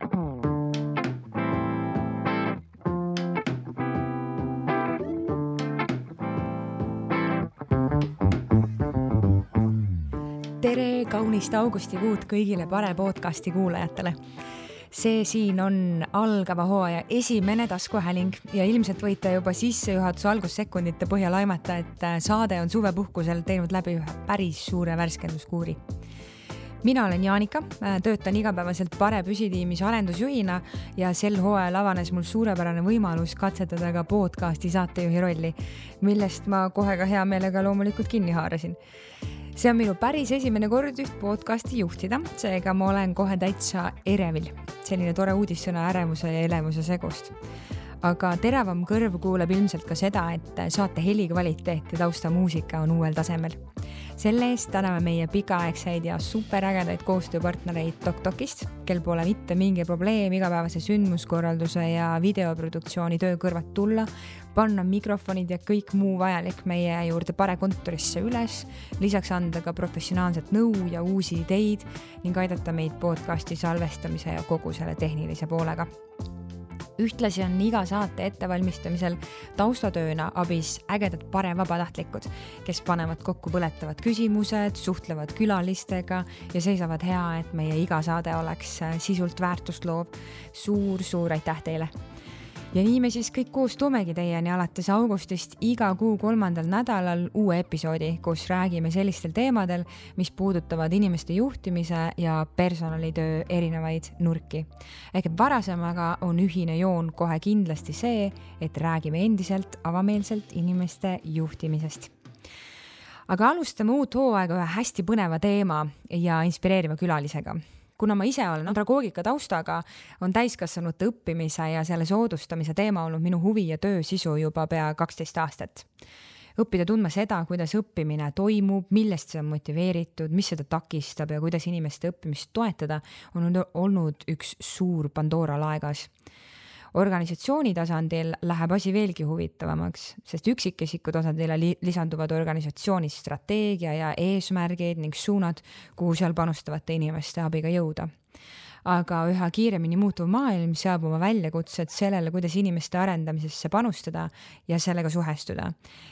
Tere kaunist augustikuud kõigile Pare podcasti kuulajatele. See siin on algava hooaja esimene taskuhääling ja ilmselt võite juba sissejuhatuse algussekundite põhjal aimata, et saade on suvepuhkusel teinud läbi ühe päris suure värskenduskuuri. Mina olen Jaanika, töötan igapäevaselt Pare püsitiimis arendusjuhina ja sel hooajal avanes mul suurepärane võimalus katsetada ka podcasti saatejuhi rolli, millest ma kohe ka hea meelega loomulikult kinni haarasin. See on minu päris esimene kord üht podcasti juhtida, seega ma olen kohe täitsa erevil. Selline tore uudissõna ärevuse ja elevuse segust. Aga teravam kõrv kuuleb ilmselt ka seda, et saate helikvaliteet ja taustamuusika on uuel tasemel. Selle eest täname meie pikaaegseid ja superägedaid koostööpartnereid TokTokist, kel pole mitte mingi probleem igapäevase sündmuskorralduse ja videoproduktsiooni töö kõrvat tulla, panna mikrofonid ja kõik muu vajalik meie juurde Pare kontorisse üles, lisaks anda ka professionaalset nõu ja uusi ideid ning aidata meid podcasti salvestamise ja kogu selle tehnilise poolega. Ühtlasi on iga saate ettevalmistamisel taustatööna abis ägedad Pare vabatahtlikud, kes panevad kokku põletavad küsimused, suhtlevad külalistega ja seisavad hea, et meie iga saade oleks sisult väärtust loov. Suur aitäh teile! Ja nii me siis kõik koos toomegi teieni alates augustist iga kuu 3. nädalal uue episoodi, kus räägime sellistel teemadel, mis puudutavad inimeste juhtimise ja personalitöö erinevaid nurki. Ehk varasemaga on ühine joon kohe kindlasti see, et räägime endiselt avameelselt inimeste juhtimisest. Aga alustame uut hooaega ühe hästi põneva teema ja inspireeriva külalisega. Kuna ma ise olen andragoogika taustaga, on täiskasvanute õppimise ja selle soodustamise teema olnud minu huvi ja töö sisu juba pea 12 aastat. Õppida tundma seda, kuidas õppimine toimub, millest see on motiveeritud, mis seda takistab ja kuidas inimeste õppimist toetada, on olnud üks suur Pandora laegas. Organisatsiooni tasandil läheb asi veelgi huvitavamaks, sest üksikisiku tasandile lisanduvad organisatsiooni strateegia ja eesmärgid ning suunad, kuhu seal panustavate inimeste abiga jõuda. Aga üha kiiremini muutuv maailm seab oma väljakutsed sellele, kuidas inimeste arendamisesse panustada ja sellega suhestuda.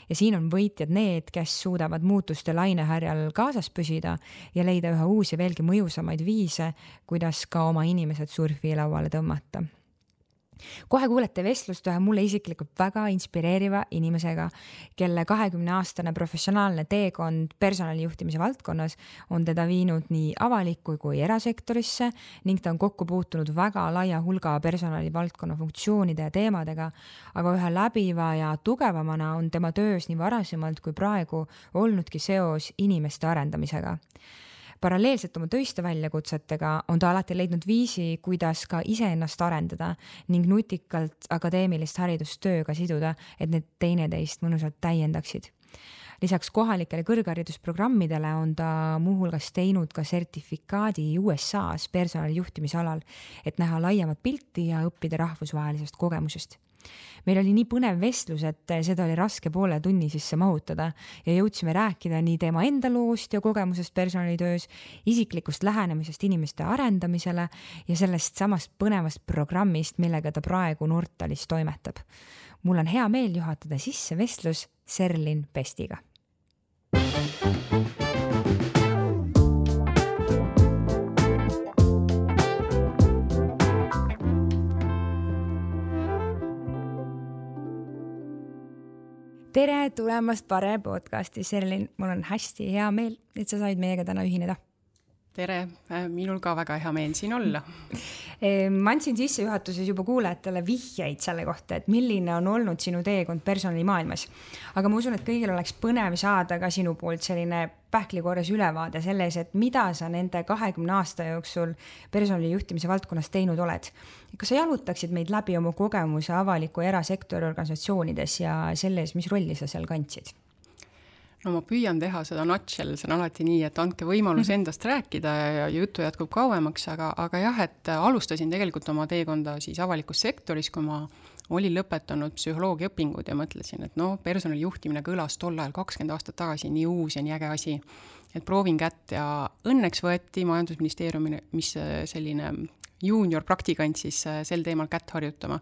Ja siin on võitjad need, kes suudavad muutuste lainehärjal kaasas püsida ja leida üha uusi veelgi mõjusamaid viise, kuidas ka oma inimesed surfilauale tõmmata. Kohe kuulete vestlust ühe mulle isiklikult väga inspireeriva inimesega, kelle 20-aastane professionaalne teekond personalijuhtimise valdkonnas on teda viinud nii avalikku kui erasektorisse ning ta on kokku puutunud väga laia hulga personalivaldkonna funktsioonide ja teemadega, aga ühe läbiva ja tugevamana on tema töös nii varasemalt kui praegu olnudki seos inimeste arendamisega. Paralleelselt oma töiste väljakutsetega on ta alati leidnud viisi, kuidas ka iseennast arendada ning nutikalt akadeemilist haridustööga siduda, et need teineteist mõnusalt täiendaksid. Lisaks kohalikele kõrgharidusprogrammidele on ta muuhulgas teinud ka sertifikaadi USA-s personalijuhtimise alal, et näha laiemat pilti ja õppida rahvusvahelisest kogemusest. Meil oli nii põnev vestlus, et seda oli raske poole tunni sisse mahutada ja jõudsime rääkida nii teema enda loost ja kogemusest personalitöös, isiklikust lähenemisest inimeste arendamisele ja sellest samast põnevast programmist, millega ta praegu Nortalis toimetab. Mul on hea meel juhatada sisse vestlus Serlin Pestiga. Tere tulemast Pare podcasti, Serlin. Mul on hästi hea meel, et sa said meiega täna ühineda. Tere, minul ka väga hea meel siin olla. Ma andsin sissejuhatuses juba kuulajatele vihjeid selle kohta, et milline on olnud sinu teekond personalimaailmas. Aga ma usun, et kõigil oleks põnev saada ka sinu poolt selline pähklikorras ülevaade selles, et mida sa nende 20 aasta jooksul personalijuhtimise valdkonnas teinud oled. Kas sa jalutaksid meid läbi oma kogemuse avaliku erasektori organisatsioonides ja selles, mis rolli sa seal kandsid? No ma püüan teha seda nutshell, see on alati nii, et andke võimalus endast rääkida ja jutu jätkub kauemaks, aga jah, et alustasin tegelikult oma teekonda siis avalikus sektoris, kui ma olin lõpetanud psühholoogiaõpingud ja mõtlesin, et personalijuhtimine kõlas tol ajal 20 aastat tagasi nii uus ja nii äge asi, et proovin kätt ja õnneks võeti majandusministeeriumi, mis selline juunior praktikant siis sel teemal kätt harjutama.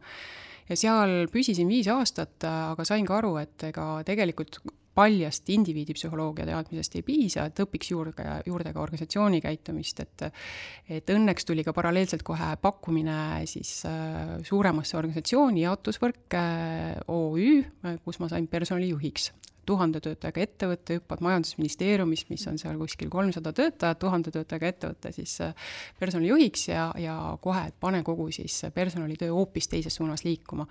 Ja seal püsisin 5 aastat, aga sain ka aru, et ega tegelikult paljast indiviidipsühholoogia teadmisest ei piisa, et õpiks juurde ka organisatsiooni käitumist, et õnneks tuli ka paralleelselt kohe pakkumine siis suuremasse organisatsiooni jaotusvõrk OÜ, kus ma sain personalijuhiks. 1000 töötajaga ettevõtte, hüppad majandusministeeriumist, mis on seal kuskil 300 töötajat, 1000 töötajaga ettevõtte siis personalijuhiks ja kohe, et pane kogu siis personalitöö hoopis teises suunas liikuma.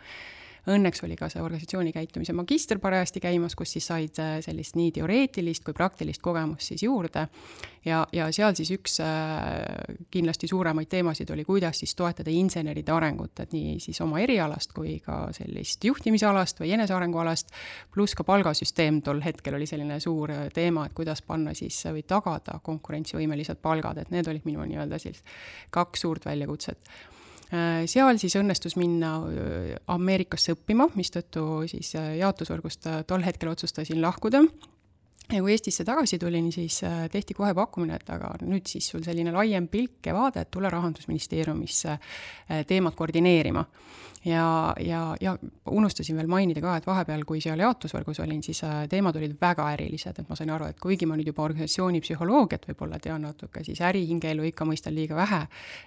Õnneks oli ka see organisatsiooni käitumise magister parajasti käimas, kus siis said sellist nii teoreetilist kui praktilist kogemust siis juurde. Ja seal siis üks kindlasti suuremaid teemasid oli, kuidas siis toetada inseneride arengut, et nii siis oma erialast kui ka sellist juhtimisalast või enesearengualast, pluss ka palgasüsteem tol hetkel oli selline suur teema, et kuidas panna siis või tagada konkurentsivõimelised palgad, et need olid minu nii-öelda siis 2 suurt väljakutset. Seal siis õnnestus minna Ameerikasse õppima, mistõttu siis jaotusvõrgust tol hetkel otsustasin lahkuda. Ja kui Eestisse tagasi tulin, siis tehti kohe pakkumine, et aga nüüd siis sul selline laiem pilk ja vaade, et tule Rahandusministeeriumisse teemat koordineerima. Ja unustasin veel mainida ka, et vahepeal, kui seal jaotusvõrgus olin, siis teemad olid väga ärilised, et ma sain aru, et kuigi ma nüüd juba organisatsiooni psühholoogiat võib-olla tean natuke, siis ärihingeelu ikka mõistan liiga vähe,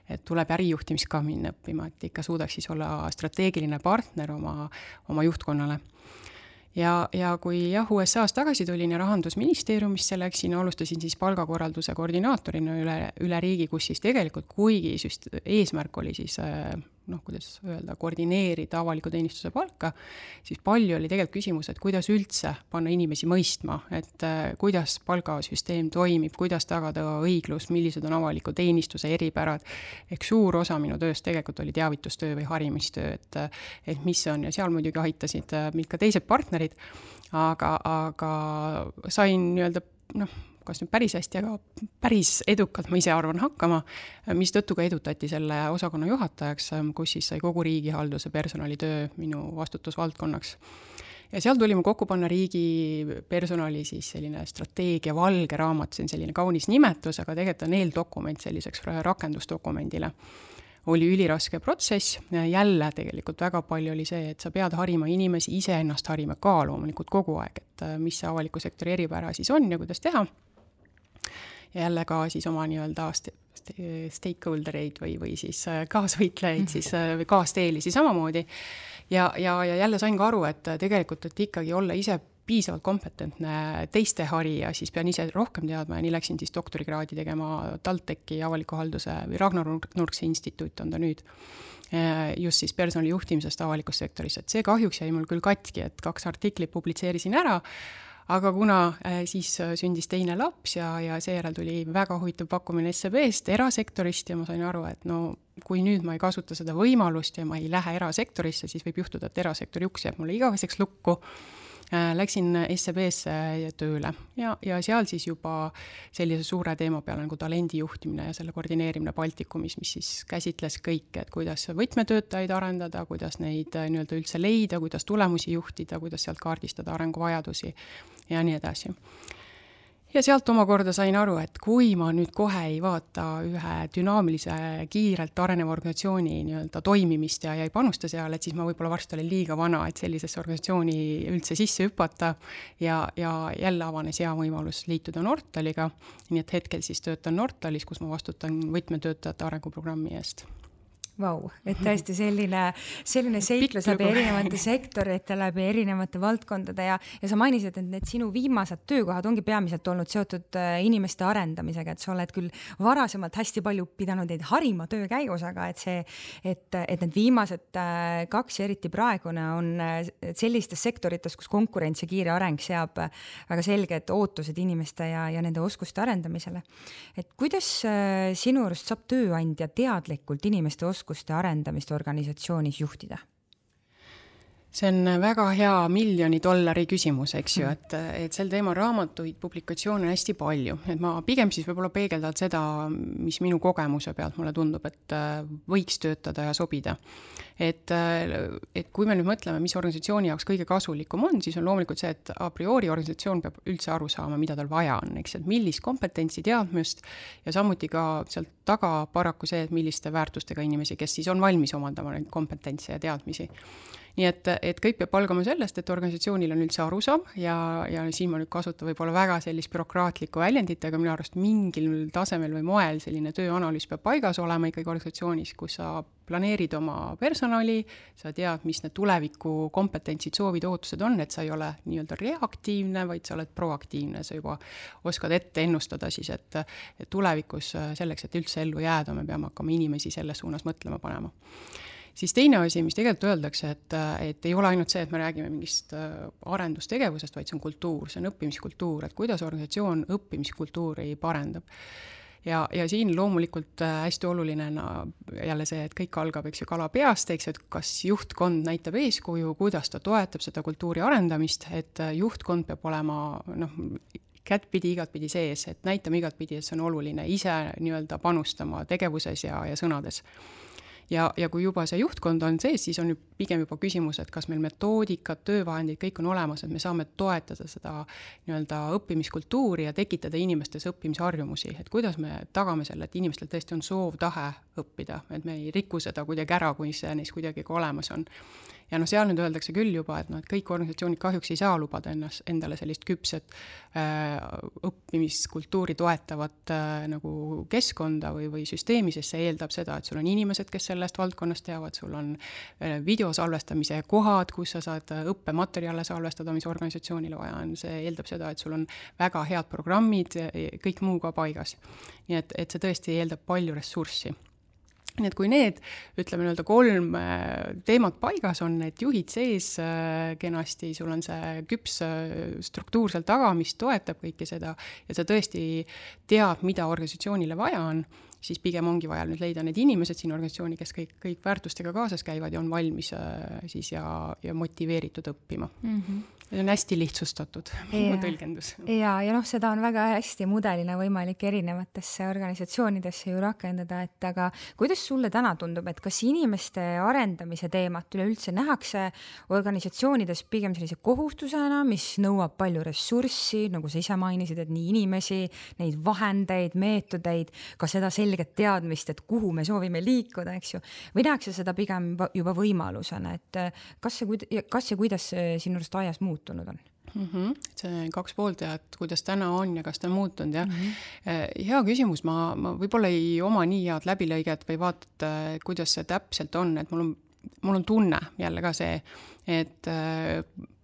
et tuleb ärijuhtimist ka minna õppima, et ikka suudaks siis olla strateegiline partner oma juhtkonnale. Ja kui USA-s tagasi tulin ja Rahandusministeeriumisse läksin, alustasin siis palgakorralduse koordinaatorina üle riigi, kus siis tegelikult kuigi eesmärk oli siis kuidas öelda, koordineerida avaliku teenistuse palka, siis palju oli tegelikult küsimus, et kuidas üldse panna inimesi mõistma, et kuidas palgasüsteem toimib, kuidas tagada õiglus, millised on avaliku teenistuse eripärad. Ehk suur osa minu tööst tegelikult oli teavitustöö või harimistöö, et mis on, ja seal muidugi aitasid mind ka teised partnerid, aga sain nii-öelda, kas nüüd päris hästi, aga päris edukalt ma ise arvan hakkama, mis tõttu ka edutati selle osakonna juhatajaks, kus siis sai kogu riigihalduse personalitöö minu vastutusvaldkonnaks. Ja seal tuli mu kokku panna riigi personali siis selline strateegia valge raamat, see on selline kaunis nimetus, aga tegelikult on eeldokument selliseks rakendusdokumendile. Oli üliraske protsess, jälle tegelikult väga palju oli see, et sa pead harima inimesi, ise ennast harima ka loomulikult kogu aeg, et mis see avaliku sektori eripära siis on ja kuidas teha. Ja jälle ka siis oma nii-öelda stakeholdereid või siis kaasvõitlejaid siis, või kaasteelisi samamoodi. Ja jälle sain ka aru, et tegelikult, et ikkagi olla ise piisavalt kompetentne teiste harija, siis pean ise rohkem teadma ja nii läksin siis doktorikraadi tegema TalTechi avaliku halduse või Ragnar Nurksi instituut on ta nüüd. Just siis personali juhtimisest avalikus sektoris, et see kahjuks jäi mul küll katki, et 2 artiklit publitseerisin ära, aga kuna siis sündis teine laps ja seejärel tuli väga huvitav pakkumine SEB-st, erasektorist ja ma sain aru, et kui nüüd ma ei kasuta seda võimalust ja ma ei lähe erasektorisse, siis võib juhtuda, et erasektori uks jääb mulle igaveseks lukku. Läksin SEB-sse tööle ja seal siis juba sellise suure teema peale nagu talendi juhtimine ja selle koordineerimine Baltikumis, mis siis käsitles kõike, et kuidas võtmetöötajaid arendada, kuidas neid nii-öelda üldse leida, kuidas tulemusi juhtida, kuidas sealt kaardistada arenguvajadusi ja nii edasi. Ja sealt omakorda sain aru, et kui ma nüüd kohe ei vaata ühe dünaamilise, kiirelt areneva organisatsiooni nii-öelda toimimist ja ei panusta seal, et siis ma võib-olla varsti olen liiga vana, et sellisesse organisatsiooni üldse sisse hüpata ja jälle avanes hea võimalus liituda Nortaliga. Nii et hetkel siis töötan Nortalis, kus ma vastutan võtmetöötajate arenguprogrammi eest. Vau, et tõesti selline seiklus läbi erinevate sektorite, läbi erinevate valdkondade ja sa mainisid, et need sinu viimased töökohad ongi peamiselt olnud seotud inimeste arendamisega, et sa oled küll varasemalt hästi palju pidanud neid harima töö käigus, aga et need viimased 2 eriti praegune on sellistes sektorites, kus konkurents ja kiire areng seab väga selged ootused inimeste ja nende oskuste arendamisele. Et kuidas sinu arust saab tööandja teadlikult inimeste oskuste arendamist organisatsioonis juhtida? See on väga hea $1,000,000 küsimus, eks ju, et sel teemal raamatuid, publikatsioone on hästi palju. Et ma pigem siis võib-olla peegeldan seda, mis minu kogemuse pealt mulle tundub, et võiks töötada ja sobida. Et kui me nüüd mõtleme, mis organisatsiooni jaoks kõige kasulikum on, siis on loomulikult see, et a priori organisatsioon peab üldse aru saama, mida tal vaja on, eks, et millist kompetentsi, teadmist ja samuti ka sealt taga paraku see, et milliste väärtustega inimesi, kes siis on valmis omandama neid kompetentse ja teadmisi. Nii et kõik peab algama sellest, et organisatsioonil on üldse arusaam ja siin ma nüüd kasutan võib-olla väga sellist bürokraatlikku väljendit, aga minu arust mingil tasemel või moel selline tööanalüüs peab paigas olema ikkagi organisatsioonis, kus sa planeerid oma personali, sa tead, mis need tuleviku kompetentsid, soovid, ootused on, et sa ei ole nii-öelda reaktiivne, vaid sa oled proaktiivne, sa juba oskad ette ennustada siis, et tulevikus selleks, et üldse ellu jääda, me peame hakkama inimesi selles suunas mõtlema panema. Siis teine asi, mis tegelikult öeldakse, et ei ole ainult see, et me räägime mingist arendustegevusest, vaid see on kultuur, see on õppimiskultuur, et kuidas organisatsioon õppimiskultuuri parendab. Ja siin loomulikult hästi oluline jälle see, et kõik algab, eks ju, kala peast, eks ju, et kas juhtkond näitab eeskuju, kuidas ta toetab seda kultuuri arendamist, et juhtkond peab olema, kättpidi, igatpidi sees, et näitame igatpidi, et see on oluline ise nii-öelda panustama tegevuses ja sõnades. Ja kui juba see juhtkond on sees, siis on pigem juba küsimus, et kas meil metoodikad, töövahendid, kõik on olemas, et me saame toetada seda nii-öelda õppimiskultuuri ja tekitada inimestes õppimisharjumusi, et kuidas me tagame selle, et inimestel tõesti on soov, tahe õppida, et me ei riku seda kuidagi ära, kui see neis kuidagi ka olemas on. Ja seal nüüd öeldakse küll juba, et kõik organisatsioonid kahjuks ei saa lubada endale sellist küpset õppimiskultuuri toetavat nagu keskkonda või süsteemi, sest see eeldab seda, et sul on inimesed, kes sellest valdkonnast teavad, sul on videosalvestamise kohad, kus sa saad õppematerjale salvestada, mis organisatsioonile vaja on, see eeldab seda, et sul on väga head programmid, kõik muu ka paigas. Nii et see tõesti eeldab palju ressurssi. Nii et kui need, ütleme nii-öelda 3 teemat paigas on, et juhid sees kenasti, sul on see küps struktuur seal taga, mis toetab kõike seda ja sa tõesti tead, mida organisatsioonile vaja on, siis pigem ongi vaja nüüd leida need inimesed siin organisatsiooni, kes kõik väärtustega kaasas käivad ja on valmis siis ja motiveeritud õppima. See on hästi lihtsustatud tõlgendus. Ja seda on väga hästi mudelina võimalik erinevatesse organisatsioonidesse ju rakendada, et aga kuidas sulle täna tundub, et kas inimeste arendamise teemat üleüldse nähakse organisatsioonides pigem sellise kohustusena, mis nõuab palju ressurssi, nagu sa ise mainisid, et nii inimesi, neid vahendeid, meetodeid, ka seda selget teadmist, et kuhu me soovime liikuda, eks ju, või nähakse seda pigem juba võimalusena, et kas ja kuidas sinu arust ajas muutunud on? See 2 poolt ja et kuidas täna on ja kas ta on muutunud ja hea küsimus, ma võib-olla ei oma nii head läbilõiget või vaatad, kuidas see täpselt on, et mul on tunne jälle ka see, et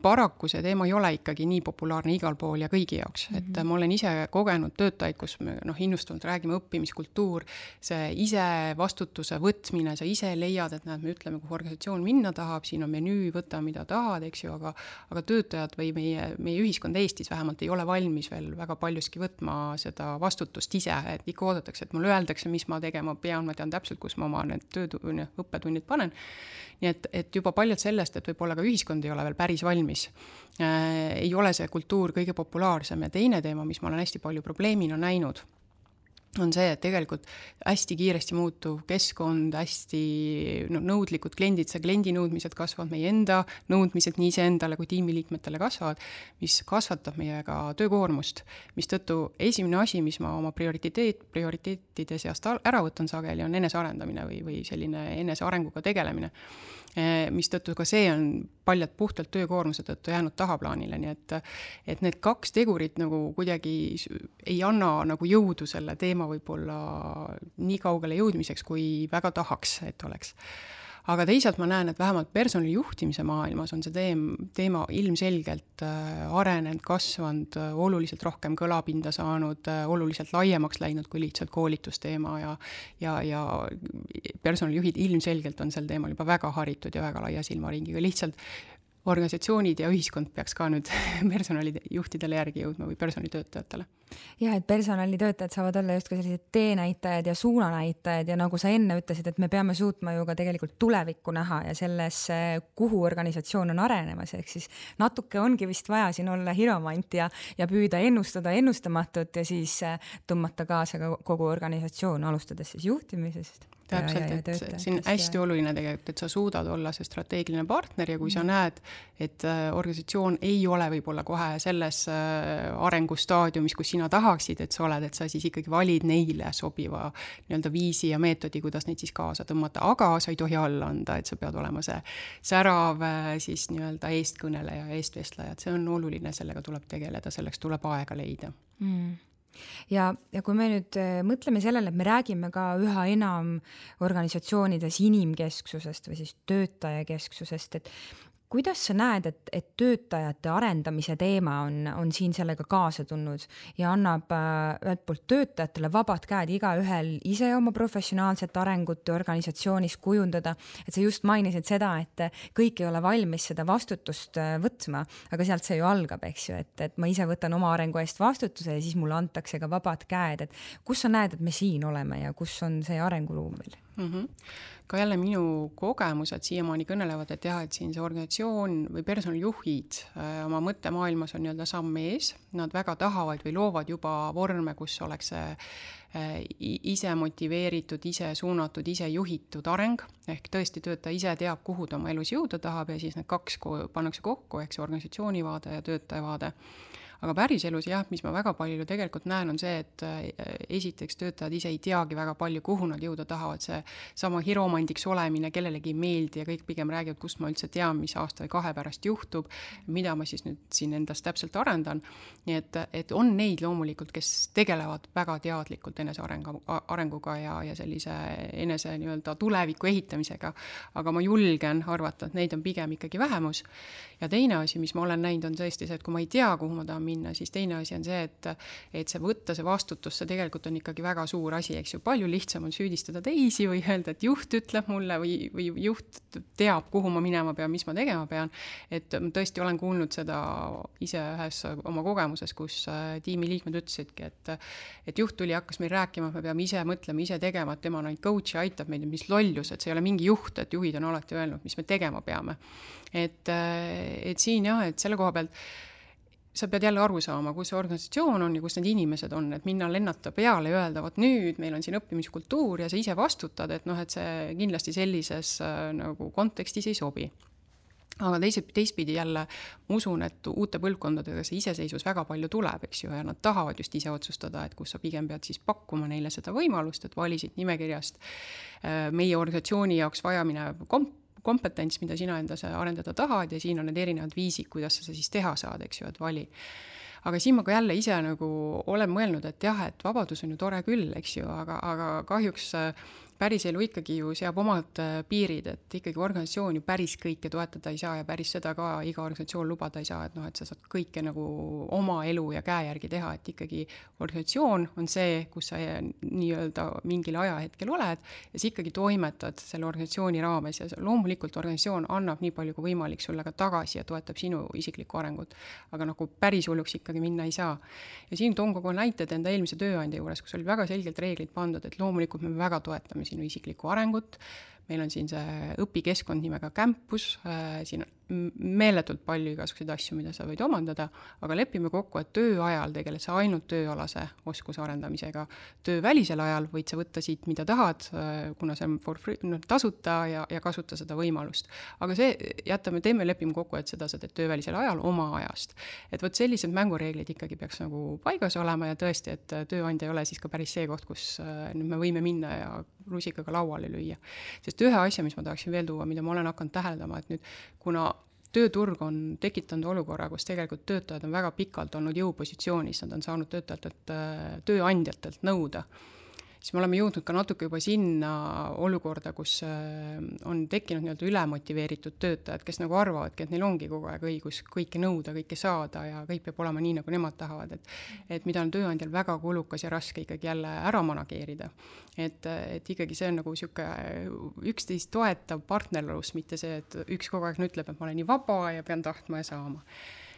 paraku see teema ei ole ikkagi nii populaarne igal pool ja kõigi jaoks, et ma olen ise kogenud töötajaid, kus me innustanud räägime õppimiskultuur, see ise vastutuse võtmine, sa ise leiad, et me ütleme, kuhu organisatsioon minna tahab, siin on menüü, võta mida tahad, eks ju, aga töötajad või meie ühiskond Eestis vähemalt ei ole valmis veel väga paljuski võtma seda vastutust ise, et ikka oodatakse, et mulle öeldakse, mis ma tegema pean, ma tean täpselt, kus ma oma need õppetunnid panen. Nii et juba paljud sellest, et võib-olla ka ühiskond ei ole veel päris valmis. Ei ole see kultuur kõige populaarsem ja teine teema, mis ma olen hästi palju probleemina näinud, on see, et tegelikult hästi kiiresti muutuv keskkond, hästi nõudlikud kliendid, see kliendi nõudmised kasvavad, meie enda nõudmised nii iseendale kui tiimiliikmetele kasvavad, mis kasvatab meiega töökoormust, mis tõttu esimene asi, mis ma oma prioriteetide seast ära võtan sageli, on enesearendamine või selline enesearenguga tegelemine, mis tõttu ka see on paljalt puhtalt töökoormuse tõttu jäänud tahaplaanile, nii et need 2 tegurit nagu kuidagi ei anna nagu jõudu selle teema võib-olla nii kaugele jõudmiseks, kui väga tahaks, et oleks. Aga teisalt ma näen, et vähemalt personalijuhtimise maailmas on see teema ilmselgelt arenenud, kasvanud, oluliselt rohkem kõlapinda saanud, oluliselt laiemaks läinud kui lihtsalt koolitusteema ja personalijuhid ilmselgelt on sel teemal juba väga haritud ja väga laia silmaringiga. Lihtsalt organisatsioonid ja ühiskond peaks ka nüüd personalijuhtidele järgi jõudma või personalitöötajatele. Jah, et personalitöötajad saavad olla just ka sellised teenäitajad ja suunanäitajad ja nagu sa enne ütlesid, et me peame suutma ju ka tegelikult tulevikku näha ja selles, kuhu organisatsioon on arenemas, ehk siis natuke ongi vist vaja siin olla hiromant ja püüda ennustada ennustamatut ja siis tõmmata kaasa ka kogu organisatsioon, alustades siis juhtimisest. Täpselt, et siin hästi oluline tegelikult, et sa suudad olla see strateegiline partner ja kui sa näed, et organisatsioon ei ole võib-olla kohe selles arengustaadiumis, kus sina tahaksid, et sa oled, et sa siis ikkagi valid neile sobiva nii-öelda viisi ja meetodi, kuidas neid siis kaasa tõmmata, aga sa ei tohi alla anda, et sa pead olema see särav siis nii-öelda eestkõneleja ja eestvestleja, et see on oluline, sellega tuleb tegeleda, selleks tuleb aega leida. Ja kui me nüüd mõtleme sellele, et me räägime ka üha enam organisatsioonides inimkesksusest või siis töötajakesksusest, et kuidas sa näed, et töötajate arendamise teema on siin sellega kaasa tulnud ja annab ühelt poolt töötajatele vabad käed igaühel ise oma professionaalset arengut organisatsioonis kujundada, et sa just mainisid seda, et kõik ei ole valmis seda vastutust võtma, aga sealt see ju algab, eks ju, et ma ise võtan oma arengu eest vastutuse ja siis mulle antakse ka vabad käed, et kus sa näed, et me siin oleme ja kus on see arenguruum veel? Ka jälle minu kogemused siiamaani kõnelevad, et jah, et siin see organisatsioon või personalijuhid oma mõttemaailmas on nii-öelda samm ees, nad väga tahavad või loovad juba vorme, kus oleks ise motiveeritud, ise suunatud, ise juhitud areng, ehk tõesti töötaja ise teab, kuhu ta oma elus jõuda tahab ja siis need kaks pannakse kokku, ehk see organisatsiooni vaade ja töötaja vaade. Aga päriselus jah, mis ma väga palju tegelikult näen, on see, et esiteks töötajad ise ei teagi väga palju, kuhu nad jõuda tahavad, see sama hiromandiks olemine, kellelegi ei meeldi ja kõik pigem räägivad, kust ma üldse tean, mis aasta või 2 pärast juhtub, mida ma siis nüüd siin endast täpselt arendan. Nii et on neid loomulikult, kes tegelevad väga teadlikult enese arenguga ja sellise enese nii-öelda tuleviku ehitamisega, aga ma julgen arvata, et neid on pigem ikkagi vähemus. Ja teine asi, mis ma olen näinud, on tõesti see, et kui ma ei tea, kuhu ma tahan minna, siis teine asi on see, et see võtta see vastutus, see tegelikult on ikkagi väga suur asi, eks ju, palju lihtsam on süüdistada teisi või öelda, et juht ütleb mulle või juht teab, kuhu ma minema pean, mis ma tegema pean, et tõesti olen kuulnud seda ise ühes oma kogemuses, kus tiimiliikmed ütlesidki, et juht tuli, hakkas meil rääkima, et me peame ise mõtlema, ise tegema, et tema on ainult coach ja aitab meid, mis lollus, et see ei ole mingi juht, et juhid on alati öelnud, mis me tegema peame. Et siin jah, et selle koha pealt sa pead jälle aru saama, kus see organisatsioon on ja kus need inimesed on, et minna lennata peale ja öelda, vot nüüd meil on siin õppimiskultuur ja sa ise vastutad, et et see kindlasti sellises nagu kontekstis ei sobi. Aga teistpidi jälle ma usun, et uute põlvkondadega see iseseisvus väga palju tuleb, eks ju, ja nad tahavad just ise otsustada, et kus sa pigem pead siis pakkuma neile seda võimalust, et valisid nimekirjast meie organisatsiooni jaoks vajaminev kompetents, mida sina endas arendada tahad ja siin on need erinevad viisid, kuidas sa siis teha saad, eks ju, et vali. Aga siin ma ka jälle ise nagu olen mõelnud, et jah, et vabadus on ju tore küll, eks ju, aga kahjuks päris elu ikkagi ju seab omad piirid, et ikkagi organisatsioon ju päris kõike toetada ei saa ja päris seda ka iga organisatsioon lubada ei saa, et et sa saad kõike nagu oma elu ja käe järgi teha, et ikkagi organisatsioon on see, kus sa nii-öelda mingil ajahetkel oled ja sa ikkagi toimetad selle organisatsiooni raames ja loomulikult organisatsioon annab nii palju kui võimalik sulle ka tagasi ja toetab sinu isiklikku arengut, aga nagu päris hulluks ikkagi minna ei saa. Ja siin toon kogu näited enda eelmise tööandja juures, kus oli väga selgelt reeglid pandud, et loomulikult me väga toetame sinu isiklikku arengut, meil on siin see õpikeskkond nimega Campus, siin on meeletult palju igasuguseid asju, mida sa võid omandada, aga lepime kokku, et töö ajal tegeled sa ainult tööalase oskuse arendamisega. Töö välisel ajal võid sa võtta siit, mida tahad, kuna see on for free, tasuta ja kasuta seda võimalust. Aga teeme lepime kokku, et seda sa teed töö välisel ajal oma ajast. Et võt sellised mängureeglid ikkagi peaks nagu paigas olema ja tõesti, et tööandja ei ole siis ka päris see koht, kus nüüd me võime minna ja rusikaga lauale lüüa. Sest ühe asja, mis ma tahaksin veel tuua, mida ma olen hakanud täheldama, et nüüd kuna tööturg on tekitanud olukorra, kus tegelikult töötajad on väga pikalt olnud jõupositsioonis, nad on saanud tööandjatelt nõuda, siis me oleme jõudnud ka natuke juba sinna olukorda, kus on tekkinud nii-öelda ülemotiveeritud töötajad, kes nagu arvavadki, et neil ongi kogu aeg õigus kõike nõuda, kõike saada ja kõik peab olema nii, nagu nemad tahavad, et mida on tööandjal väga kulukas ja raske ikkagi jälle ära manageerida. Et ikkagi see on nagu üksteist toetav partnerlus, mitte see, et üks kogu aeg ütleb, et ma olen nii vaba ja pean tahtma ja saama.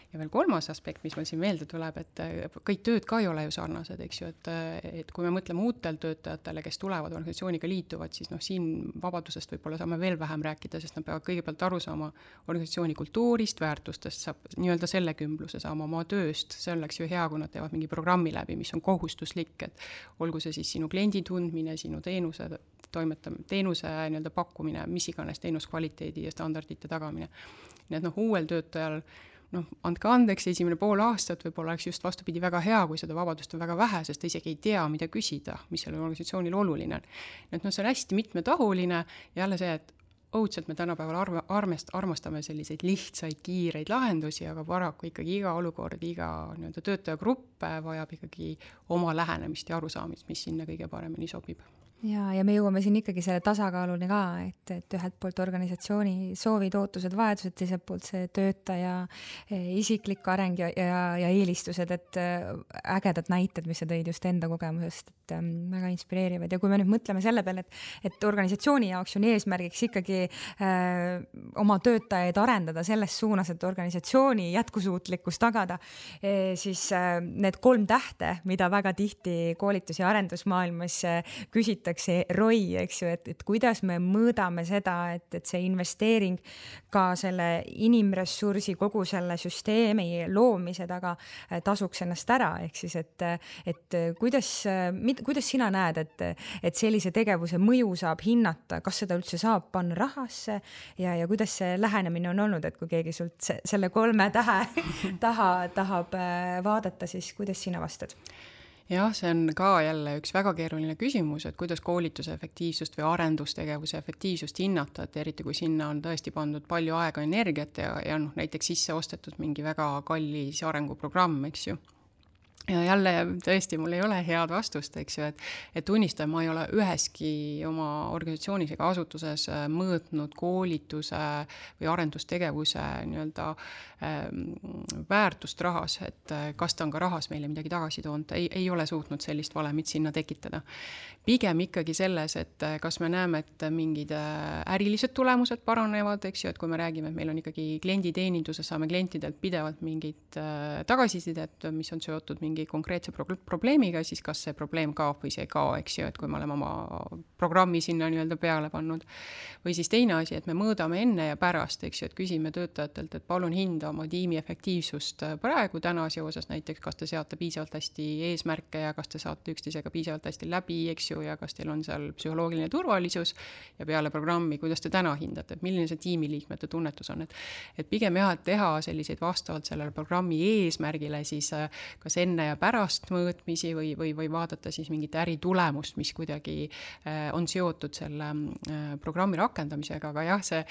Ja veel kolmas aspekt, mis meil siin meelde tuleb, et kõik tööd ka ei ole ju sarnased, eks ju, et kui me mõtleme uutel töötajatele, kes tulevad organisatsiooniga liituvad, siis siin vabadusest võib-olla saame veel vähem rääkida, sest nad peavad kõigepealt aru saama organisatsiooni kultuurist, väärtustest, saab nii-öelda selle kümbluse saama oma tööst, see oleks ju hea, kui nad teevad mingi programmi läbi, mis on kohustuslik, et olgu see siis sinu kliendi tundmine, sinu teenuse nii-öelda pakkumine, mis iganes teenuskvaliteedi ja standardite tagamine. Nii et uuel töötajal andke andeks, esimene pool aastat võib-olla oleks just vastupidi väga hea, kui seda vabadust on väga vähe, sest ta isegi ei tea, mida küsida, mis sellel organisatsioonil oluline. Et see on hästi mitmetahuline, jälle see, et õudselt me tänapäeval armastame selliseid lihtsaid, kiireid lahendusi, aga paraku ikkagi iga olukord, iga nii-öelda töötajagrupp vajab ikkagi oma lähenemist ja arusaamist, mis sinna kõige paremini sobib. Ja me jõuame siin ikkagi selle tasakaaluni ka, et ühelt poolt organisatsiooni soovid, ootused, vajadused, teiselt poolt see töötaja isiklik areng ja eelistused, et ägedad näited, mis sa tõid just enda kogemusest, et väga inspireerivad. Ja kui me nüüd mõtleme selle peale, et organisatsiooni jaoks on eesmärgiks ikkagi oma töötajaid arendada selles suunas, et organisatsiooni jätkusuutlikkus tagada, siis need 3 tähte, mida väga tihti koolitus- ja arendusmaailmas küsitakse, ROI, eks ju, et kuidas me mõõdame seda, et see investeering ka selle inimressursi, kogu selle süsteemi loomise taga tasuks ennast ära, ehk siis, et kuidas sina näed, et sellise tegevuse mõju saab hinnata, kas seda üldse saab panna rahasse ja kuidas see lähenemine on olnud, et kui keegi sult selle 3 tähe tahab vaadata, siis kuidas sina vastad? Jah, see on ka jälle üks väga keeruline küsimus, et kuidas koolituse efektiivsust või arendustegevuse efektiivsust hinnata, et eriti kui sinna on tõesti pandud palju aega, energiat ja näiteks sisse ostetud mingi väga kallis arenguprogramm, eks ju. Ja jälle tõesti, mul ei ole head vastust, eks ju, et tunnistan, ma ei ole üheski oma organisatsioonis ega asutuses mõõtnud koolituse või arendustegevuse nii-öelda väärtust rahas, et kas ta on ka rahas meile midagi tagasi toonud, ei ole suutnud sellist valemit sinna tekitada. Pigem ikkagi selles, et kas me näeme, et mingid ärilised tulemused paranevad, eks ju, et kui me räägime, et meil on ikkagi klienditeeninduses, saame klientidelt pidevalt mingid tagasisidet, mis on seotud mingi konkreetse probleemiga, siis kas see probleem kaob või see ei kao, eks ju, et kui me oleme oma programmi sinna nii-öelda peale pannud. Või siis teine asi, et me mõõdame enne ja pärast, eks ju, et küsime töötajatelt, et palun hinda oma tiimi efektiivsust praegu täna seoses näiteks, kas te seate piisavalt hästi eesmärke ja kas te saate üksteisega piisavalt hästi läbi, eks ju, ja kas teil on seal psühholoogiline turvalisus ja peale programmi, kuidas te täna hindate, et milline see tiimiliikmete tunnetus on, et pigem jah, et teha selliseid vastavalt sellele programmi eesmärgile siis kas enne ja pärast mõõtmisi või vaadata siis mingit äritulemust, mis kuidagi on seotud selle programmi rakendamisega, aga jah, see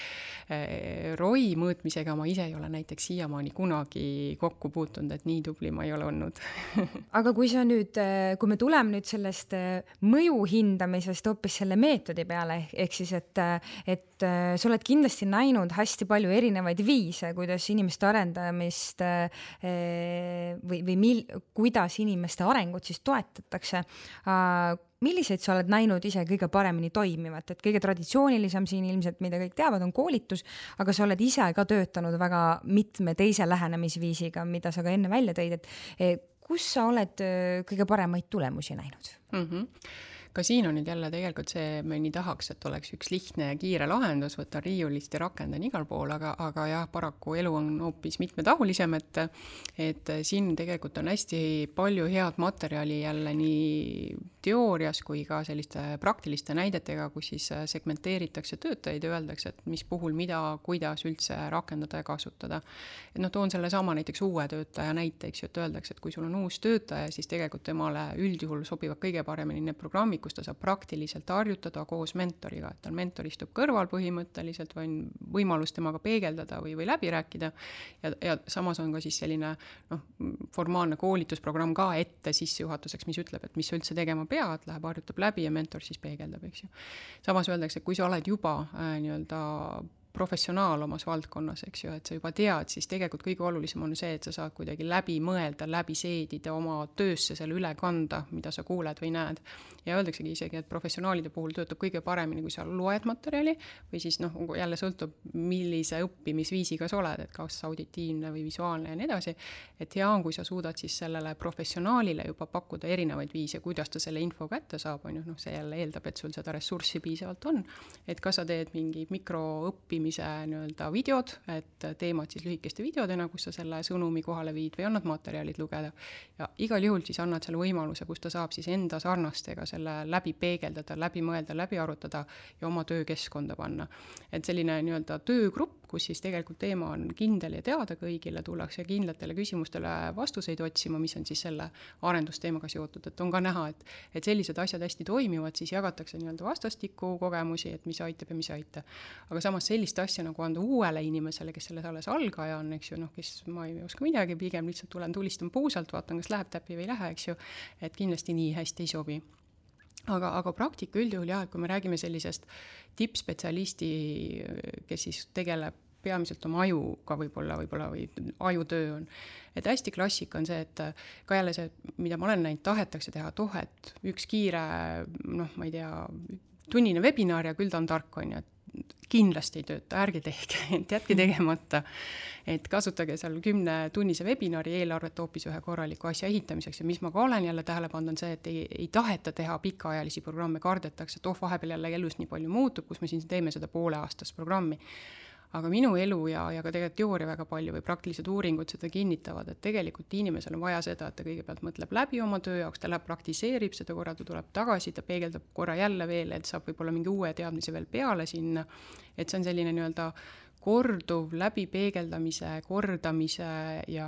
ROI mõõtmisega ma ise ei ole näiteks siiamaani kunagi kokku puutunud, et nii tubli ma ei ole olnud. Aga kui me tuleme nüüd sellest mõju hindamisest hoopis selle meetodi peale, ehk siis, et sa oled kindlasti näinud hästi palju erinevaid viise, kuidas inimeste arendamist kuidas inimeste arengut siis toetatakse. Milliseid sa oled näinud ise kõige paremini toimivat, et kõige traditsioonilisem siin ilmselt, mida kõik teavad, on koolitus, aga sa oled ise ka töötanud väga mitme teise lähenemisviisiga, mida sa ka enne välja tõid, et kus sa oled kõige paremaid tulemusi näinud? Ka siin on nüüd jälle tegelikult see, me nii tahaks, et oleks üks lihtne ja kiire lahendus, võtta riiulist ja rakendan igal pool, aga jah, paraku elu on hoopis mitmetahulisem, et siin tegelikult on hästi palju head materjali jälle nii teoorias kui ka selliste praktiliste näidetega, kus siis segmenteeritakse töötajaid ja öeldakse, et mis puhul mida, kuidas üldse rakendada ja kasutada. Et toon selle sama näiteks uue töötaja näiteks, et öeldakse, et kui sul on uus töötaja, siis tegelikult temale üldjuhul sobivad kõige paremini need programmid, kus ta saab praktiliselt harjutada koos mentoriga, et tal mentor istub kõrval põhimõtteliselt või on võimalus temaga peegeldada või läbi rääkida ja samas on ka siis selline formaalne koolitusprogramm ka ette sissejuhatuseks, mis ütleb, et mis üldse tegema peab pead, läheb harjutab läbi ja mentor siis peegeldab, eks ju. Samas öeldakse, et kui sa oled juba nii-öelda professionaal omas valdkonnas, eks ju, et sa juba tead, siis tegelikult kõige olulisem on see, et sa saad kuidagi läbi mõelda, läbi seedida oma töösse selle üle kanda, mida sa kuuled või näed. Ja öeldaksegi isegi, et professionaalide puhul töötab kõige paremini, kui sa loed materjali või siis jälle sõltub, millise õppimisviisiga sa oled, et kas auditiivne või visuaalne ja nii edasi. Et hea on, kui sa suudad siis sellele professionaalile juba pakkuda erinevaid viise, kuidas ta selle info kätte saab, on ju, see jälle eeldab, et sul seda ressurssi piisavalt on. Et kas sa teed mingi mikroõppimise nii-öelda videod, et teemad siis lühikeste videodena, kus sa selle sõnumi kohale viid või annad materjalid lugeda. Ja igal juhul siis annad selle võimaluse, kus ta saab siis enda sarnastega selle läbi peegeldada, läbi mõelda, läbi arutada ja oma töökeskkonda panna. Et selline nii-öelda töögrupp, kus siis tegelikult teema on kindel ja teada kõigile, tullakse kindlatele küsimustele vastuseid otsima, mis on siis selle arendusteemaga seotud. Et on ka näha, et sellised asjad hästi toimivad, siis jagatakse nii-öelda vastastikku kogemusi, et mis aitab ja mis ei aita. Aga samas sellist asja nagu anda uuele inimesele, kes selles alles algaja on, eks ju, kes ma ei oska midagi, pigem lihtsalt tulistan puusalt, vaatan, kas läheb täppi või ei lähe, eks ju, et kindlasti nii hästi ei sobi. Aga praktika üldjuhul jah, et kui me räägime sellisest tippspetsialisti, kes siis tegeleb peamiselt oma ajuga võib-olla või ajutöö on. Et hästi klassika on see, et ka jälle see, mida ma olen näinud, tahetakse teha, et üks kiire, ma ei tea, tunnine webinar ja küll ta on tark, on ju, kindlasti ei tööta, ärge tehke, jätke tegemata, et kasutage seal 10-tunnise webinari eelarvet hoopis ühe korraliku asja ehitamiseks ja mis ma ka olen jälle tähele pannud on see, et ei taheta teha pikaajalisi programme, kardetakse, et vahepeal jälle elus nii palju muutub, kus me siin teeme seda pooleaastast programmi. Aga minu elu ja ka tegelikult teooria väga palju või praktilised uuringud seda kinnitavad, et tegelikult inimesel on vaja seda, et ta kõigepealt mõtleb läbi oma töö jaoks, ta läheb praktiseerib seda korra, ta tuleb tagasi, ta peegeldab korra jälle veel, et saab võib-olla mingi uue teadmise veel peale sinna, et see on selline nii-öelda korduv läbipeegeldamise, kordamise ja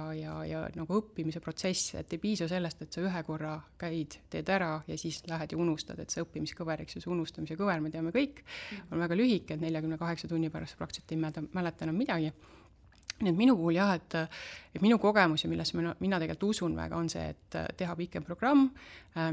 nagu õppimise protsess, et ei piisa sellest, et sa ühe korra käid, teed ära ja siis lähed ja unustad, et see õppimiskõver, eks ju, see unustamise kõver, me teame kõik, on väga lühike, et 48 tunni pärast praktiliselt ei mäleta enam midagi. Nii et minu puhul jah, et minu kogemus ja millesse mina tegelikult usun väga on see, et teha pikem programm,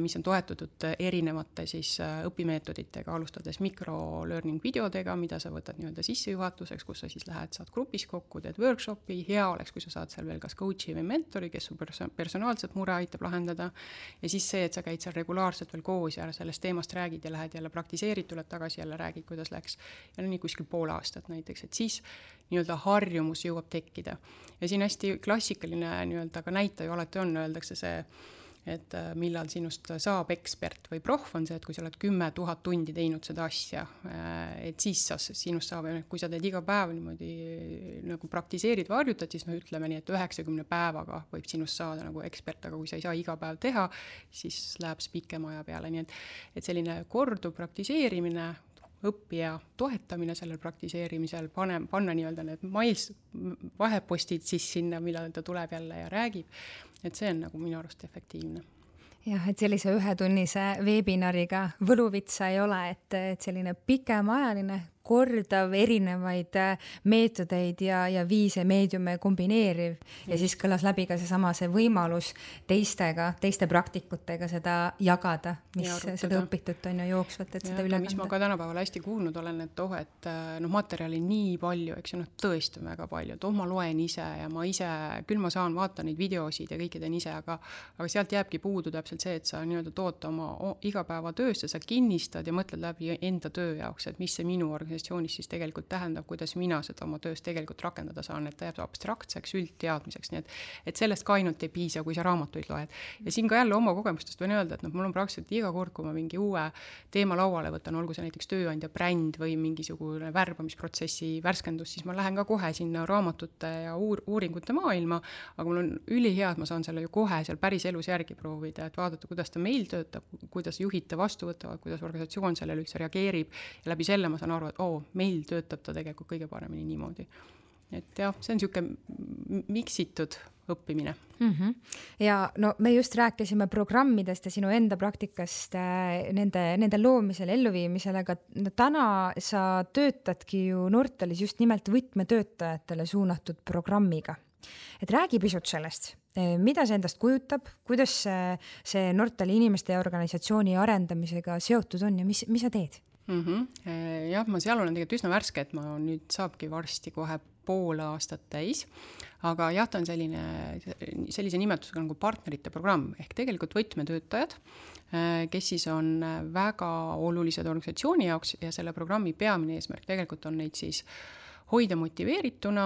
mis on toetatud erinevate siis õpimeetoditega, alustades micro-learning videodega, mida sa võtad nii-öelda sissejuhatuseks, kus sa siis lähed, saad grupis kokku, teed workshopi, hea oleks, kui sa saad seal veel kas coachi või mentori, kes su personaalset mure aitab lahendada ja siis see, et sa käid seal regulaarselt veel koos ja sellest teemast räägid ja lähed jälle praktiseerid, tuled tagasi jälle räägid, kuidas läks ja nii kuskil pool aastat näiteks, et siis nii-öelda harjumus jõuab tekkida. Ja siin hästi klassikaline nii-öelda ka näitaja alati on, öeldakse see, et millal sinust saab ekspert või prof on see, et kui sa oled 10 000 tundi teinud seda asja, et siis sinust saab, kui sa teed iga päev niimoodi nagu praktiseerid või harjutad, siis ütleme nii, et 90 päevaga võib sinust saada nagu ekspert, aga kui sa ei saa iga päev teha, siis läheb see pikema aja peale, nii et selline korduv praktiseerimine, õppija toetamine sellel praktiseerimisel, panna nii-öelda need vahepostid siis sinna, millal ta tuleb jälle ja räägib, et see on nagu minu arust efektiivne. Jah, et sellise ühetunnise webinariga võluvitsa ei ole, et selline pikemajaline kordav erinevaid meetodeid ja viise meediume kombineeriv ja siis kõlas läbi ka see võimalus teiste praktikutega seda jagada, mis seda õpitut on ju jooksvat, et seda üle kanda. Mis ma ka tänapäeval hästi kuulnud olen, et materjali nii palju, eks ju, tõesti väga palju, et ma loen ise ja ma ise, küll ma saan vaata neid videosid ja kõiki teen ise, aga sealt jääbki puudu täpselt see, et sa nii-öelda toota oma igapäevatöösse, sa kinnistad ja mõtled läbi enda töö jaoks, et mis see minu siis tegelikult tähendab, kuidas mina seda oma töös tegelikult rakendada saan, et ta jääb abstraktseks, üldteadmiseks, nii et sellest ka ainult ei piisa, kui sa raamatuid loed. Ja siin ka jälle oma kogemustest võin öelda, et mul on praktiliselt iga kord, kui ma mingi uue teema lauale võtan, olgu see näiteks tööandja bränd või mingisugune värbamisprotsessi värskendus, siis ma lähen ka kohe sinna raamatute ja uuringute maailma, aga mul on ülihea, et ma saan selle ju kohe seal päris elus järgi proovida, et vaadata, kuidas ta meil töötab, kuidas juhid ta vastu võtavad, kuidas organisatsioon sellele üldse reageerib ja läbi selle ma saan aru, et meil töötab ta tegelikult kõige paremini niimoodi. Et jah, see on niisugune miksitud õppimine. Ja no me just rääkisime programmidest ja sinu enda praktikast nende loomisel, elluviimisel, aga täna sa töötadki ju Nortalis just nimelt võtmetöötajatele suunatud programmiga. Et räägi pisut sellest, mida see endast kujutab, kuidas see Nortali inimeste ja organisatsiooni arendamisega seotud on ja mis sa teed? Jah, ma seal olen tegelikult üsna värske, et ma nüüd saabki varsti kohe pool aastat täis, aga jah, ta on sellise nimetusega nagu partnerite programm, ehk tegelikult võtmetöötajad, kes siis on väga olulised organisatsiooni jaoks ja selle programmi peamine eesmärk tegelikult on neid siis hoida motiveerituna,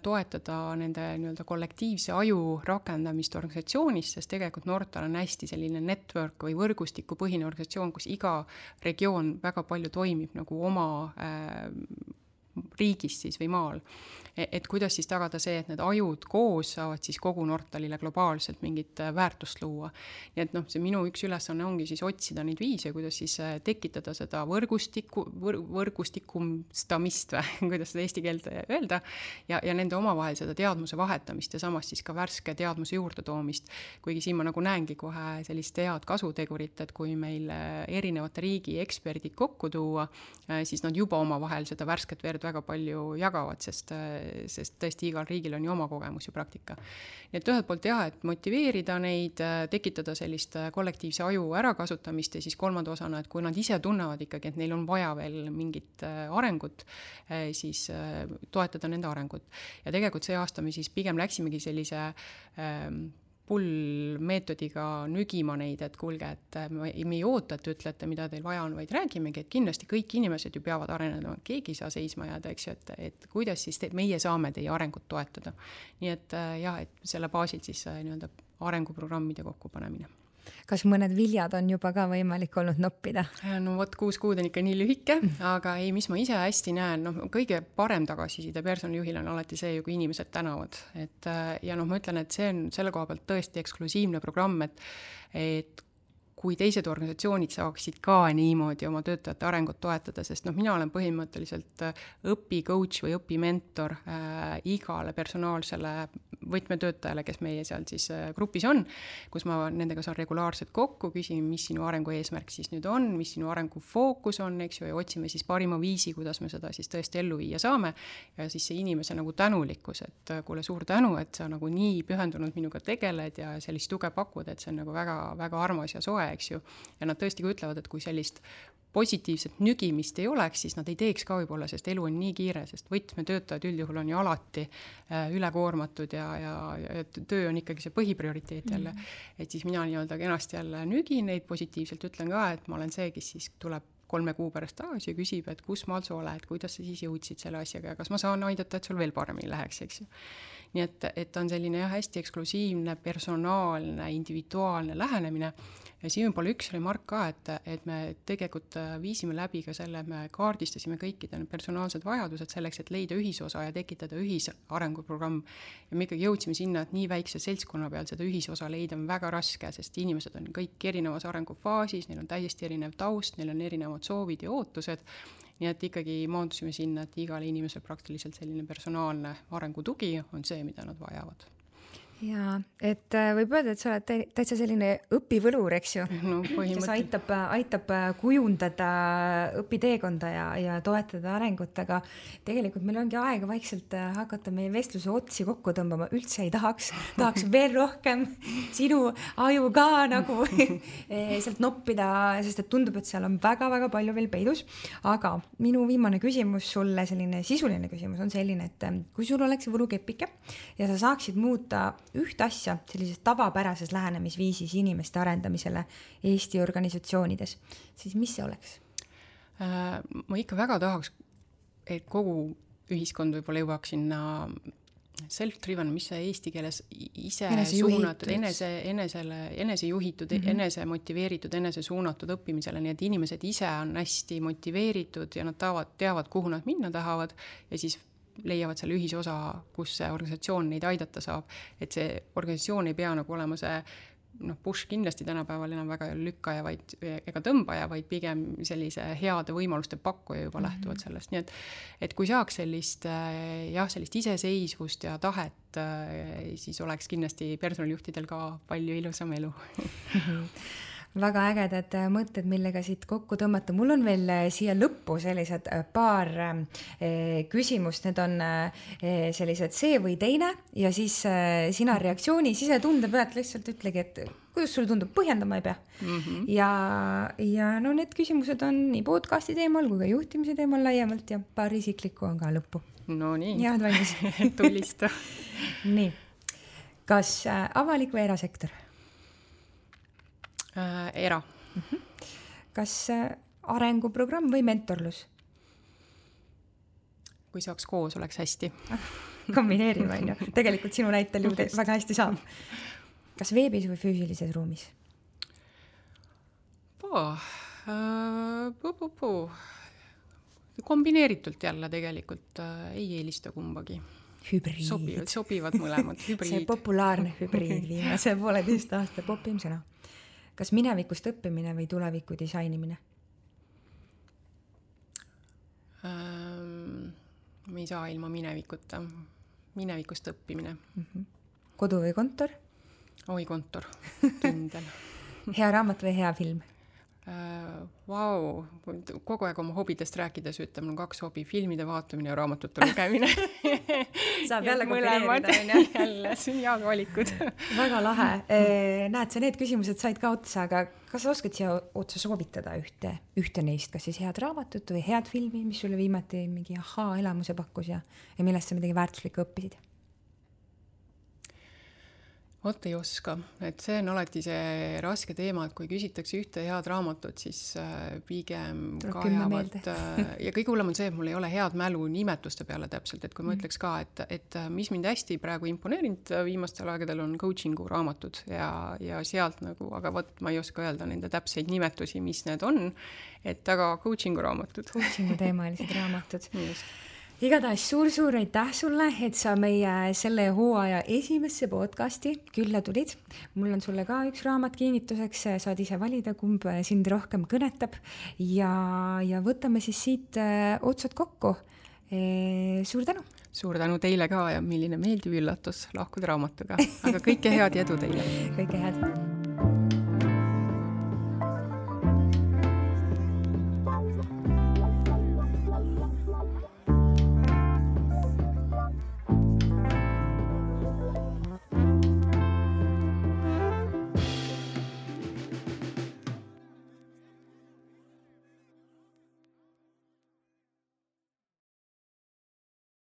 toetada nende nii-öelda kollektiivse aju rakendamist organisatsioonis, sest tegelikult Nortal on hästi selline network või võrgustikupõhine organisatsioon, kus iga regioon väga palju toimib nagu oma riigis siis või maal. Et kuidas siis tagada see, et need ajud koos saavad siis kogu Nortalile globaalselt mingit väärtust luua. Nii et see minu üks ülesanne ongi siis otsida neid viise, kuidas siis tekitada seda võrgustikumstamist või kuidas seda eesti keelt öelda ja nende omavahel seda teadmuse vahetamist ja samas siis ka värske teadmuse juurde toomist. Kuigi siin ma nagu näengi kohe sellist head kasutegurit, et kui meil erinevate riigi eksperdid kokku tuua, siis nad juba omavahel seda värsket verd väga palju jagavad, sest tõesti igal riigil on ju oma kogemus ja praktika. Nii et ühelt poolt jah, et motiveerida neid, tekitada sellist kollektiivse aju ärakasutamist ja siis kolmanda osana, et kui nad ise tunnevad ikkagi, et neil on vaja veel mingit arengut, siis toetada nende arengut. Ja tegelikult see aasta me siis pigem läksimegi sellise pull-meetodiga nügima neid, et kuulge, et me ei oota, et ütlete, mida teil vaja on, vaid räägimegi, et kindlasti kõik inimesed ju peavad arenema, keegi ei saa seisma jääda, eks ju, et kuidas siis meie saame teie arengut toetada. Nii et jah, et selle baasilt siis nii-öelda arenguprogrammide kokkupanemine. Kas mõned viljad on juba ka võimalik olnud noppida? No vot 6 kuud on ikka nii lühike, aga ei, mis ma ise hästi näen, kõige parem tagasiside personalijuhil on alati see, kui inimesed tänavad. Ja ma ütlen, et see on selle koha pealt tõesti eksklusiivne programm, et kui teised organisatsioonid saaksid ka niimoodi oma töötajate arengut toetada, sest mina olen põhimõtteliselt õpicoach või õpimentor igale personaalsele võtmetöötajale, kes meie seal siis grupis on, kus ma nendega saan regulaarselt kokku, küsin, mis sinu arengu eesmärk siis nüüd on, mis sinu arengu fookus on, eks ju, ja otsime siis parima viisi, kuidas me seda siis tõesti ellu viia saame. Ja siis see inimese nagu tänulikkus, et kuule suur tänu, et sa nagu nii pühendunud minuga tegeled ja sellist tuge pakud, et see on nagu väga, väga armas ja soe, eks ju. Ja nad tõesti ka ütlevad, et kui sellist positiivset nügimist ei oleks, siis nad ei teeks ka võib-olla, sest elu on nii kiire, sest võtmetöötajad üldjuhul on ju alati ülekoormatud ja töö on ikkagi see põhiprioriteet jälle. Et siis mina nii-öelda kenasti jälle nügin neid positiivselt, ütlen ka, et ma olen see, kes siis tuleb 3 kuu pärast tagasi ja küsib, et kus maal sa oled, kuidas sa siis jõudsid selle asjaga ja kas ma saan aidata, et sul veel paremini läheks, eks ju. Nii et on selline hästi eksklusiivne, personaalne, individuaalne lähenemine. Ja siin võib-olla üks remark ka, et me tegelikult viisime läbi ka selle, me kaardistasime kõikide personaalsed vajadused selleks, et leida ühisosa ja tekitada ühisarenguprogramm. Ja me ikkagi jõudsime sinna, et nii väikse seltskonna peal seda ühisosa leida on väga raske, sest inimesed on kõik erinevas arengufaasis, neil on täiesti erinev taust, neil on erinevad soovid ja ootused. Nii et ikkagi maandusime sinna, et igale inimesel praktiliselt selline personaalne arengutugi on see, mida nad vajavad. Ja, et võib öelda, et sa oled täitsa selline õpivõlur, eks ju, kes aitab kujundada õpiteekonda ja toetada arengut, aga tegelikult meil ongi aega vaikselt hakata meie vestluse otsi kokku tõmbama, üldse ei tahaks veel rohkem sinu aju ka nagu sealt noppida, sest et tundub, et seal on väga-väga palju veel peidus, aga minu viimane küsimus sulle, selline sisuline küsimus on selline, et kui sul oleks võlukepike ja sa saaksid muuta üht asja sellises tavapärases lähenemisviisis inimeste arendamisele Eesti organisatsioonides, siis mis see oleks? Ma ikka väga tahaks, et kogu ühiskond võib-olla jõuaks sinna self-driven, mis see eesti keeles ise suunatud, enesejuhitud, enesemotiveeritud, enesesuunatud õppimisele, nii et inimesed ise on hästi motiveeritud ja nad teavad, kuhu nad minna tahavad ja siis leiavad selle ühisosa, kus see organisatsioon neid aidata saab. Et see organisatsioon ei pea nagu olema see push kindlasti tänapäeval enam väga lükkaja ega tõmbaja, vaid pigem sellise heade võimaluste pakkuja juba lähtuvalt sellest. Nii et kui saaks sellist iseseisvust ja tahet, siis oleks kindlasti personalijuhtidel ka palju ilusam elu. väga ägedad mõtted, millega siit kokku tõmmata. Mul on veel siia lõppu sellised paar küsimust, need on sellised see või teine ja siis sina reaktsiooni sisetunde pealt lihtsalt ütlegi, et kuidas sulle tundub, põhjendama ei pea. Ja no need küsimused on nii podcasti teemal kui ka juhtimise teemal laiemalt ja paar isiklikku on ka lõppu. No nii. Ja, valmis. Tulista. Nii. Kas avalik või erasektor? Era. Kas arenguprogramm või mentorlus? Kui saaks koos, oleks hästi. Kombineerime, on ju. Tegelikult sinu näitel ju väga hästi saab. Kas veebis või füüsilises ruumis? Kombineeritult jälle tegelikult ei eelista kumbagi. Hübriid. Sobivad mõlemad. Hübriid. See populaarne hübriid viimase 1,5 aasta popim sõna. Kas minevikust õppimine või tuleviku disainimine? Me ei saa ilma minevikuta. Minevikust õppimine. Kodu või kontor? Oi, kontor. Kindel. Hea raamat või hea film? Vau, kogu aeg oma hobidest rääkides ütleb, mul 2 hobi, filmide vaatamine ja raamatute lugemine. Saab jälle kombineerida. Jälle, see on head valikud. Väga lahe. Näed, sa need küsimused said ka otsa, aga kas sa oskad siia otsa soovitada ühte neist, kas siis head raamatut või head filmi, mis sulle viimati mingi elamuse pakkus ja millest sa midagi väärtuslikku õppisid? Vot ei oska, et see on alati see raske teema, et kui küsitakse ühte head raamatut, siis pigem kajavad ja kõige hullem on see, et mul ei ole head mälu nimetuste peale täpselt, et kui ma ütleks ka, et mis mind hästi praegu imponeerinud viimastel aegadel on coachingu raamatud ja sealt nagu, aga vot ma ei oska öelda nende täpseid nimetusi, mis need on, et aga coachingu raamatud. Coachingu teemalised raamatud. Igatahes suur aitäh sulle, et sa meie selle hooaja esimesse podcasti külla tulid. Mul on sulle ka üks raamat kinnituseks, saad ise valida, kumb sind rohkem kõnetab ja võtame siis siit otsad kokku. Suur tänu! Suur tänu teile ka ja milline meeldiv üllatus lahkuda raamatuga, aga kõike head ja edu teile! Kõike head!